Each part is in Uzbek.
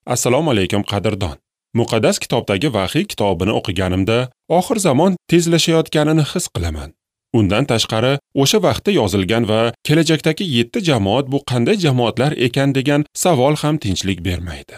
Assalomu alaykum qadrdon. Muqaddas kitobdagi Vahiy kitobini o'qiganimda oxir zamon tezlashayotganini his qilaman. Undan tashqari, o'sha vaqtda yozilgan va kelajakdagi 7 jamoat bu qanday jamoatlar ekan degan savol ham tinchlik bermaydi.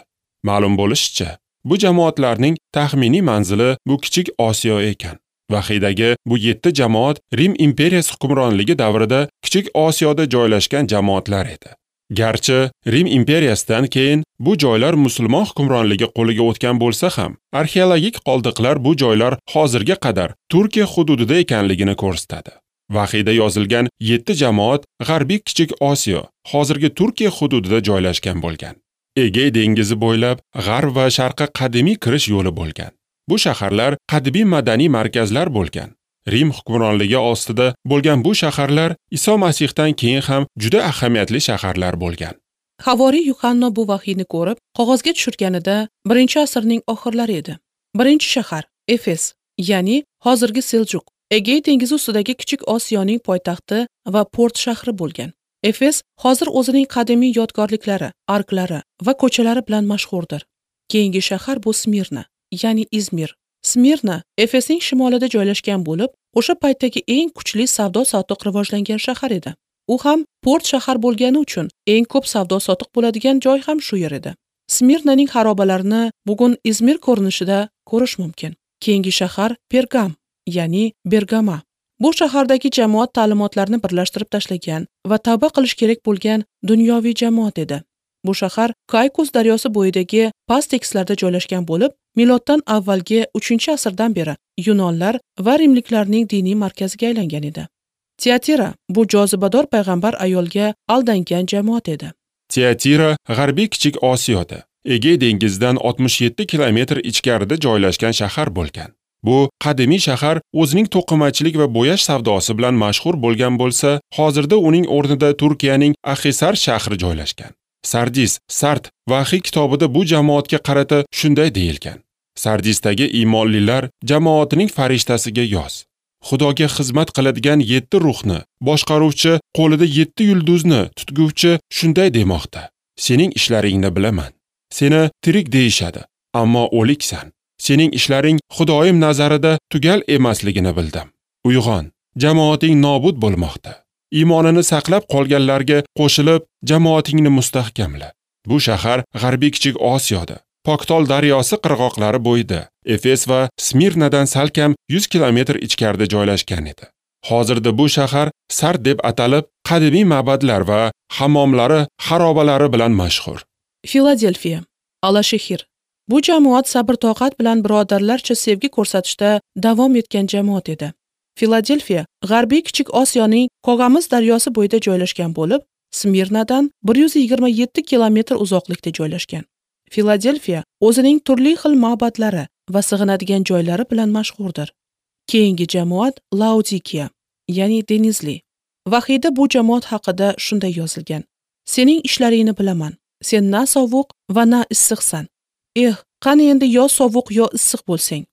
Ma'lum bo'lishicha, bu jamoatlarning taxminiy manzili bu Kichik Osiyo ekan. Vahiydagi bu 7 jamoat Rim imperiyasi hukmronligi davrida Kichik Osiyoda joylashgan jamoatlar edi. Garchi Rim imperiyasidan keyin bu joylar musulmon hukmronligi qo'liga o'tgan bo'lsa ham, arxeologik qoldiqlar bu joylar hozirga qadar Turkiya hududida ekanligini ko'rsatadi. Vahiyda yozilgan 7 jamoat G'arbiy Kichik Osiyo, hozirgi Turkiya hududida joylashgan bo'lgan. Egey dengizi bo'ylab g'arb va sharqqa qadimiy kirish yo'li bo'lgan. Bu shaharlar qadimiy madaniy markazlar bo'lgan. Rim hukmronligi ostida bo'lgan bu shaharlar Iso Masihdan keyin ham juda ahamiyatli shaharlar bo'lgan. Havoriy Yuhanno bu vahiyni ko'rib, qog'ozga tushirganida 1-asrning oxirlari edi. Birinchi shahar Efes, ya'ni hozirgi Seljuk, Egey dengizi ustidagi Kichik Osiyoning poytaxti va port shahri bo'lgan. Efes hozir o'zining qadimiy yodgorliklari, arklari va ko'chalari bilan mashhurdir. Keyingi shahar bu Smirna, ya'ni Izmir. Smirna Efesning shimolida joylashgan bo'lib, o'sha paytdagi eng kuchli savdo-sotiq rivojlangan shahar edi. U ham port shahar bo'lgani uchun eng ko'p savdo-sotiq bo'ladigan joy ham shu yer edi. Smirnaning xarobalarini bugun Izmir ko'rinishida ko'rish mumkin. Keyingi shahar Pergam, ya'ni Bergama. Bu shahardagi jamoat ta'limotlarini birlashtirib tashlagan va tavba qilish kerak bo'lgan dunyoviy jamoat edi. Bu shahar Kaykus daryosi bo'yidagi past tekislarda joylashgan bo'lib, miloddan avvalgi 3-asrdan beri yunonlar va rimliklarning diniy markaziga aylangan edi. Tiatira bu jozibador payg'ambar ayolga aldangan jamoat edi. Tiatira G'arbiy Kichik Osiyoda, Egey dengizidan 67 kilometr ichkarida joylashgan shahar bo'lgan. Bu qadimiy shahar o'zining to'qimachilik va bo'yash savdosi bilan mashhur bo'lgan bo'lsa, hozirda uning o'rnida Turkiyaning Akhisar shahri joylashgan. Sardis, Sart Vahiy kitobida bu jamoatga qarata shunday deyilgan. Sardisdagi iymonlilar jamoatining farishtasiga yoz. Xudoga xizmat qiladigan 7 ruhni, boshqaruvchi qo'lida 7 yulduzni tutguvchi shunday demoqda. Sening ishlaringni bilaman. Seni tirik deyishadi, ammo o'liksan. Sening ishlaring Xudoyim nazarida tugal emasligini bildim. Uyg'on, jamoating nobud bo'lmoqda. Iymonini saqlab qolganlarga qo'shilib, jamoatingni mustahkamla. Bu shahar G'arbiy Kichik Osiyoda, Poktol daryosi qirg'oqlari bo'yida, Efes va Smirnadan salkam 100 kilometr ichkarida joylashgan edi. Hozirda bu shahar Sart deb atalib, qadimiy ma'badlar va hammomlari, xarobalari bilan mashhur. Filadelfiya, Alashehir. Bu jamoat sabr-toqat bilan birodarlarcha sevgi ko'rsatishda davom etgan jamoat edi. Filadelfiya G'arbiy Kichik Osiyoning Kog'amiz daryosi bo'yida joylashgan bo'lib, Smirnadan 127 kilometr uzoqlikda joylashgan. Filadelfiya o'zining turli xil ma'badlari va sig'inadigan joylari bilan mashhurdir. Keyingi jamoat Laodikiya, ya'ni Denizli. Vahiyda bu jamoat haqida shunday yozilgan: Sening ishlaringni bilaman. Sen na sovuq va na issiqsan. Eh, qani endi yo sovuq yo issiq bo'lsang.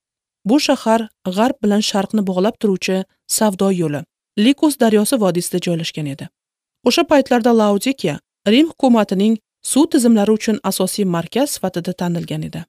Bu shahar g'arb bilan sharqni bog'lab turuvchi savdo yo'li Likus daryosi vodiysida joylashgan edi. O'sha paytlarda Laodikiya Rim hukumatining suv tizimlari uchun asosiy markaz sifatida tanilgan edi.